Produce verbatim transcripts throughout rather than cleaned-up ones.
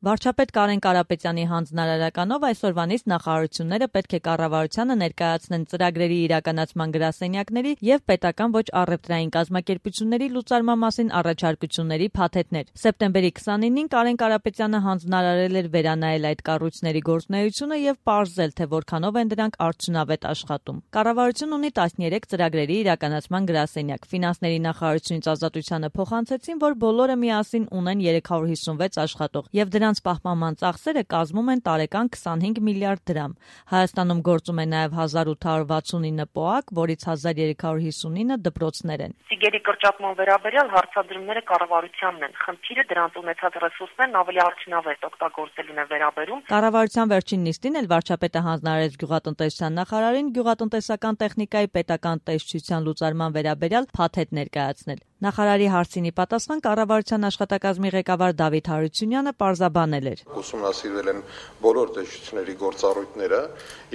Վարչապետ Կարեն Կարապետյանի հանձնարարականով այսօրվանից նախարարությունները պետք է կառավարությանը ներկայացնեն ծրագրերի իրականացման գրասենյակների և պետական ոչ առևտրային կազմակերպությունների լուծարման մասին առաջարկությունների փաթեթներ։ Սեպտեմբերի քսանինին Կարեն Կարապետյանը հանձնարարել էր վերանայել այդ կառույցների գործունեությունը և պարզել, թե որքանով են դրանք արդյունավետ աշխատում։ Կառավարությունն ունի տասներեք ծրագրերի իրականացման գրասենյակ։ Ֆինանսների նախարարությունից Ազատությանը փոխանցեցին, որ բոլորը միասին ունեն երեք հարյուր հիսունվեց աշխատող և դրանց պահպանման ծախսերը կազմում են տարեկան քսանհինգ միլիարդ դրամ։ Հայաստանում գործում է նաև հազար ութ հարյուր վաթսունինը պոակ, որից հազար երեք հարյուր հիսունինը դպրոցներ են։ Ծիգերի կրճատման վերաբերյալ հարցադրումները կառավարությանն են։ Խնդիրը դրանց ունեցած ռեսուրսներն ավելի արդյունավետ օգտագործելուն է վերաբերում։ Կառավարության վերջին նիստին էլ վարչապետը հանձնարարեց գյուղատնտեսության նախարարին գյուղատնտեսական տեխնիկայի պետական տեսչության լուծարման վերաբերյալ փաթեթ ներկայացնել։ Նախարարի հարցին ի պատասխան կառավարության աշխատակազմի ղեկավար Դավիթ Հարությունյանը պարզաբանել էր. Ուսումնասիրվել են բոլոր տեսչությունների գործառույթները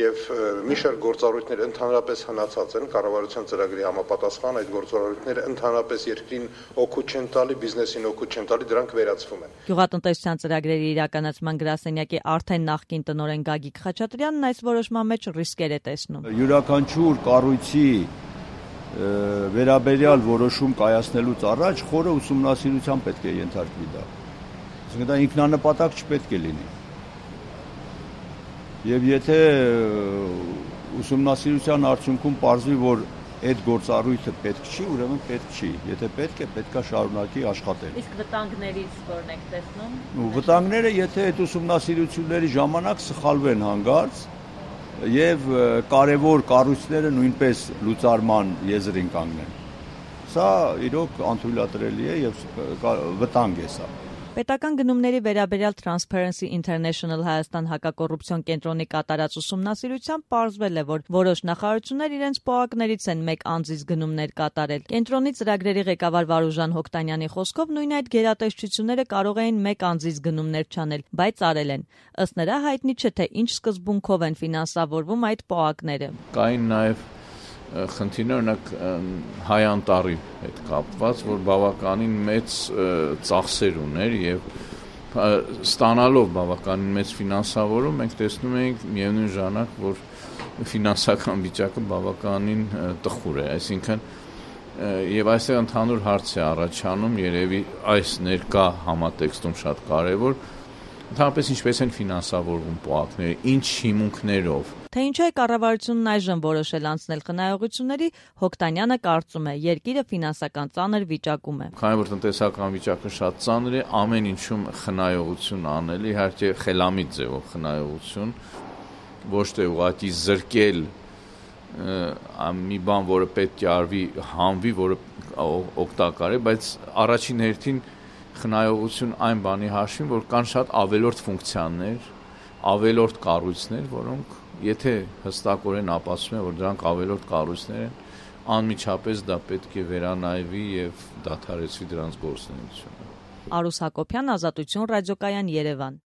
եւ մի շարք գործառույթներ ընդհանրապես հնացած են կառավարության ծրագրի համապատասխան այդ գործառույթները ընդհանրապես երկրին օգուտ չեն տալի, բիզնեսին օգուտ չեն տալի, դրանք վերացվում են։ Գյուղատնտեսության ծրագրերի իրականացման գրասենյակի արդեն նախկին տնօրեն Գագիկ Խաչատրյանն այս որոշման մեջ ռիսկեր է տեսնում։ Յուրաքանչյուր կառույցի վերաբերյալ որոշում կայացնելուց առաջ խորը ուսումնասիրության պետք է ենթարկվի դա։ Այսինքն դա ինքնանպատակ չպետք է լինի։ Եվ եթե ուսումնասիրության արդյունքում պարզվի, որ այդ գործառույթը պետք չի, ուրեմն պետք չի։ Եթե պետք է, պետք է շարունակի աշխատել։ Իսկ վտանգներից որն եք տեսնում։ Վտանգները, եթե այդ ուսումնասիրությունների ժամանակ սխալվեն հանգարց եւ կարևոր կառույցները նույնպես լուծարման եզրին կանգնեն։ Սա իրոք անթույլատրելի է եւ վտանգ է սա։ Պետական գնումների վերաբերյալ Transparency International Հայաստան հակակոռուպցիոն կենտրոնի կատարած ուսումնասիրությամբ պարզվել է, որ որոշ նախարարություններ իրենց պոակներից են մեկ անձից գնումներ կատարել։ Կենտրոնի ծրագրերի ղեկավար Վարուժան Հոկտանյանի խոսքով նույն այդ գերատեսչությունները կարող էին մեկ անձից գնումներ չանել, բայց արել են։ Ըստ նրա հայտնի չէ, թե ինչ սկզբունքով են ֆինանսավորվում այդ պոակները։ Կային նաև խնդիրն օրինակ Հայ Անտառի հետ կապված, որ բավականին մեծ ծախսեր ուներ եւ ստանալով բավականին մեծ ֆինանսավորում մենք տեսնում ենք միևնույն ժամանակ, որ ֆինանսական վիճակը բավականին տխուր է, այսինքն եւ այստեղ ընդհանուր հարց է առաջանում, երևի այս ներկա համատեքստում շատ կարեւոր, ընդհանրապես ինչպես են ֆինանսավորվում պոակները, ինչ հիմունքներով։ Թե ինչու է կառավարությունն այժմ որոշել անցնել խնայողությունների, Հոկտանյանը կարծում է, երկիրը ֆինանսական ծանր վիճակում է։ Քանի որ տնտեսական վիճակը շատ ծանր է, ամեն ինչում խնայողություն անել, իհարկե խելամիտ ձևով խնայողություն, ոչ թե ուղղակի զրկել մի բան, որը պետք է արվի, հանվի, որը օգտակար է, բայց առաջին հերթին խնայողություն այն բանի հաշվին, որ կան շատ ավելորդ ֆունկցիաներ, ավելորդ կառույցներ, որոնք եթե հստակորեն ապացուցում է, որ դրանք ավելորդ կառույցներ են, անմիջապես դա պետք է վերանայվի եւ դադարեցվի դրանց գործունեությունը։ Արուս Հակոբյան, Ազատություն ռադիոկայան, Երևան։